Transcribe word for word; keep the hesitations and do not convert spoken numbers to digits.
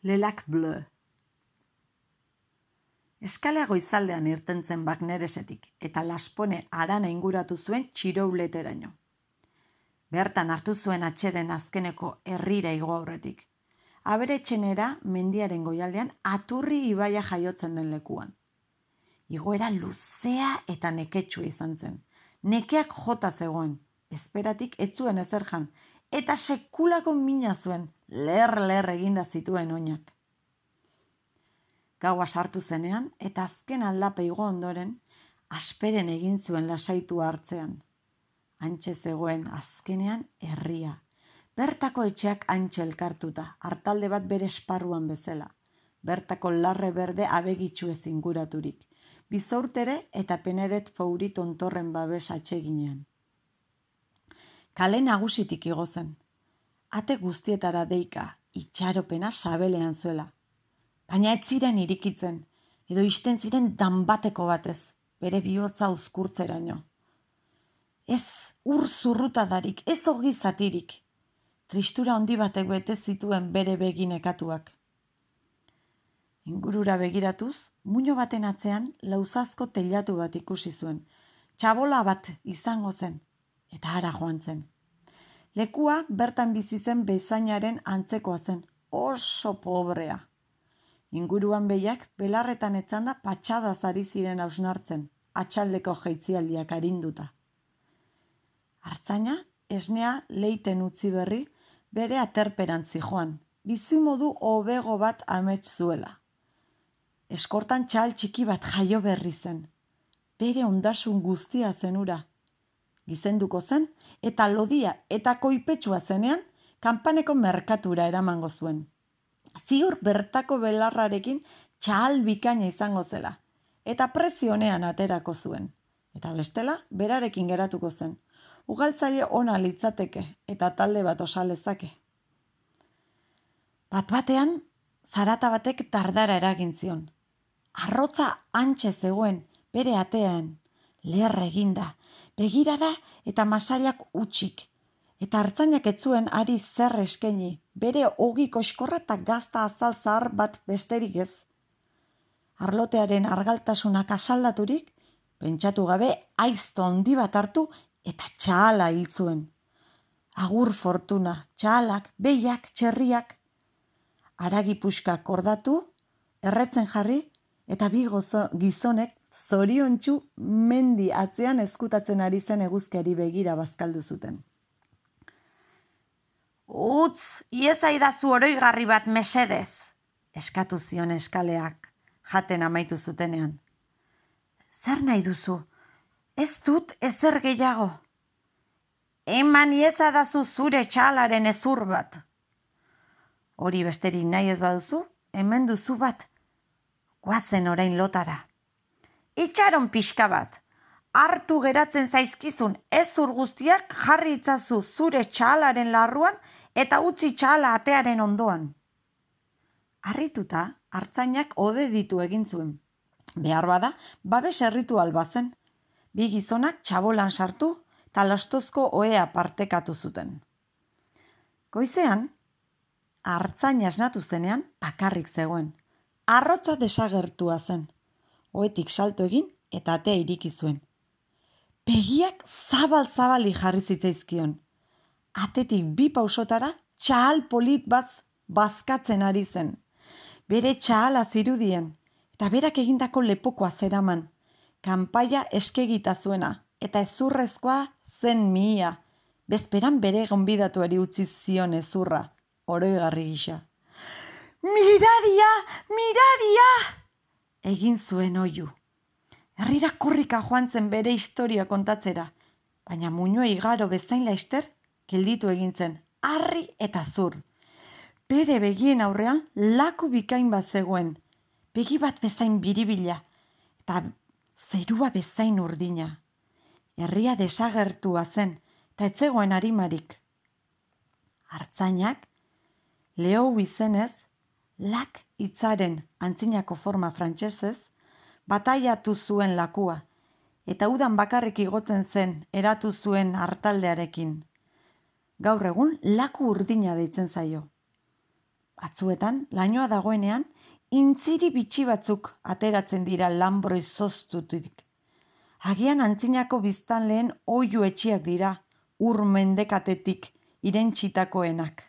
Le Lac Bleu. Eskalea goizaldean irten zen Bagneresetik eta Laspone harana inguratu zuen Txirouleteraino. Bertan hartu zuen atseden azkeneko herrira igo aurretik. Aberetxenera mendiaren goialdean Aturri ibaia jaiotzen den lekuan. Igoera luzea eta neketsua izan zen. Nekeak jota zegoen, esperatik ez zuen ezer jan, eta sekulako mina zuen, ler-ler eginda zituen oinak. Gaua sartu zenean, eta azken aldapa igo ondoren, asperen egin zuen lasaitua hartzean. Hantxe zegoen azkenean herria. Bertako etxeak hantxe elkartuta, hartalde bat bere esparruan bezala. Bertako larre berde abegitxu ez inguraturik. Bizaurtere eta Penedet Fouri tontorren babes atseginean. Kale nagusitik igo zen. Ate guztietara deika, itxaropena sabelean zuela. Baina ez ziren irikitzen, edo isten ziren danbateko batez, bere bihotza uzkurtzeraino. Ez ur zurrutadarik, ez ogi zatirik. Tristura handi batek bete zituen bere beginekatuak. Ingurura begiratuz, muino baten atzean lauzazko teilatu bat ikusi zuen. Txabola bat izango zen, eta hara joan zen. Lekua bertan bizi zen bezainaren antzekoa zen, oso pobrea. Inguruan behiak belarretan etzanda patxadaz ari ziren hausnartzen, atxaldeko jeitzialdiak arinduta. Artzaina, esnea leiten utzi berri, bere aterperan zijoan, bizimodu hobego bat amets zuela. Eskortan txal txiki bat jaio berri zen. Bere ondasun guztia zenura. Gizenduko zen, eta lodia eta koipetsua zenean, kanpaneko merkatura eramango zuen. Ziur bertako belarrarekin txal bikaina izango zela, eta prezio honean aterako zuen. Eta bestela, berarekin geratuko zen. Ugaltzaile ona litzateke, eta talde bat osalezake. Bat batean, zarata batek dardara eragin zion. Arrotza hantxe zegoen, bere atean, leher eginda, begirada eta masailak utxik, eta artzainak ez zuen ari zer eskaini, bere ogi koxkorra eta gazta azal zahar bat besterik ez. Arlotearen argaltasunak asaldaturik, pentsatu gabe aizto handi bat hartu eta txahala hil zuen. Agur fortuna, txahalak, behiak, txerriak. Haragi puxkak kordatu, erretzen jarri, eta bi gozo, gizonek zoriontsu mendi atzean ezkutatzen ari zen eguzkiari begira bazkaldu zuten. Utz, iezaidazu oroigarri bat mesedez, eskatu zion eskaleak, jaten amaitu zutenean. Zer nahi duzu? Ez dut ezer gehiago. Eman iezadazu zure txalaren ezur bat. Hori besterik nahi ez baduzu, hemen duzu bat. Guazen orain lotara. Itxaron pixka bat. Hartu geratzen zaizkizun ezur guztiak jarri itzazu zure txalaren larruan eta utzi txala atearen ondoan. Harrituta, artzainak ode ditu egin zuen. Behar bada, babes erritual bazen. Bi gizonak txabolan sartu eta lastozko ohea partekatu zuten. Goizean, artzaina esnatu zenean bakarrik zegoen. Arrotza desagertua zen. Ohetik salto egin eta atea iriki zuen. Begiak zabal-zabali jarri zitzaizkion. Atetik bi pausotara txahal polit bat bazkatzen ari zen. Bere txahala zirudien eta berak egindako lepokoa zeraman. Kanpaia eskegita zuena eta ezurrezkoa zen mihia. Bezperan bere gonbidatuari utzi zion ezurra, oroigarri gisa. Miraria! Miraria! Egin zuen oihu. Herrira korrika joan zen bere historia kontatzera, baina muinoa igaro bezain laister, gelditu egin zen, harri eta zur. Bere begien aurrean laku bikain bat zegoen, begi bat bezain biribila, eta zerua bezain urdina. Herria desagertua zen, eta ez zegoen arimarik. Artzainak, Lehou izenez, lak hitzaren antzinako forma frantsesez, bataiatu zuen lakua, eta udan bakarrik igotzen zen eratu zuen hartaldearekin. Gaur egun laku urdina deitzen zaio. Batzuetan, lainoa dagoenean, intziri bitxi batzuk ateratzen dira lanbro izoztutik. Agian antzinako biztanleen oihu etxiak dira, ur mendekatetik irentsitakoenak.